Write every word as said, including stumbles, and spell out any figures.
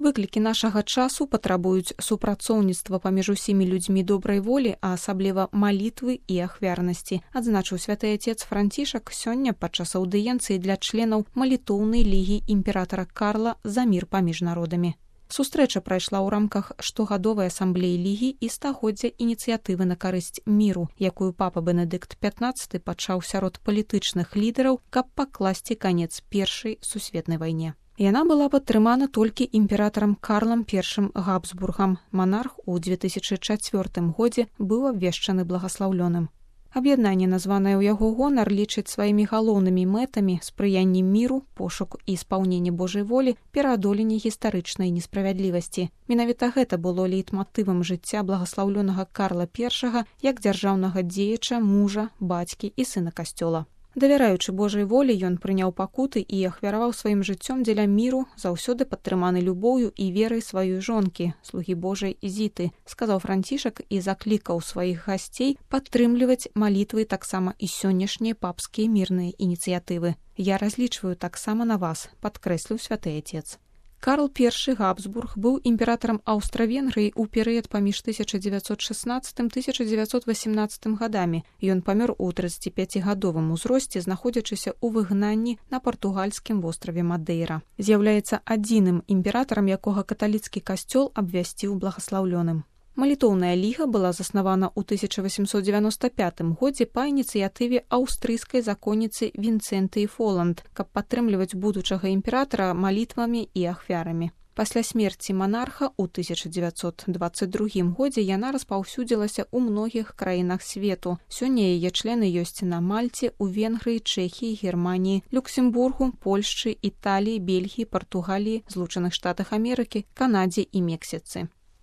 Выклікі нашага часу патрабуюць супрацоўніцтва паміж усімі людзьмі добрай волі, а асабліва малітвы і ахвярнасці, адзначыў святы отец Францішак сёння падчас аўдыенцыі для членаў малітоўнай лігі імператара Карла за мір паміж народамі. Сустрэча прайшла ў рамках штогадовай асамблеі лігі і стагоддзя ініцыятывы на карысць міру, якую папа Бенедыкт пятнаццаты пачаў сярод палітычных лідараў, каб пакласці канец першай сусветнай вайне. Яна была падтрымана толькі імператарам Карлам першым Габсбургам. Манарх у дзве тысячы чацвёртым годзе быў абвешчаны благаслаўлёным. Аб'яднанне, названае ў яго гонар, лічыць сваімі галоўнымі мэтамі спрыянне міру, пошук і спаўненне Божай волі, пераадоленне гістарычнай несправядлівасці. Менавіта гэта было лейтматывам жыцця благаслаўлёнага Карла першага як дзяржаўнага дзеяча, мужа, бацькі і сына касцёла. Давяраючы Божай волі, ён прыняў пакуты і ахвяраваў сваім жыццём дзеля міру, заўсёды падтрыманы любоўю і верай сваёй жонкі, слугі Божай Зіты, сказаў Францішак і заклікаў сваіх гасцей падтрымліваць малітвы таксама і сённяшнія папскія мірныя ініцыятывы. Я разлічваю таксама на вас, падкрэсліў святы отец. Карл першы Габсбург быў імператарам Аўстра-Венгрыі ў перыяд паміж тысяча дзевяцьсот шаснаццатым - тысяча дзевяцьсот васемнаццатым гадамі. Ён памёр у трыццаціпяцігадовым узросце, знаходзячыся ў выгнанні на партугальскім востраве Мадейра. З'яўляецца адзіным імператарам, якога каталіцкі касцёл абвясціў благаслаўлёным. Малітоўная ліга была заснавана ў тысяча васемсот дзевяноста пятым годзе па ініцыятыве аўстрыйскай законніцы Вінцэнтыі Фоланд, каб падтрымліваць будучага імператара малітвамі і ахвярамі. Пасля смерці манарха ў тысяча дзевяцьсот дваццаць другім годзе яна распаўсюдзілася ў многіх краінах свету. Сёння яе члены ёсць на Мальце, у Венгрыі, Чэхіі, Германіі, Люксембургу, Польшчы, Італіі, Бельгіі, Партугаліі, Злучаных Штатах Амерыкі, Канадзе і Мексіцы.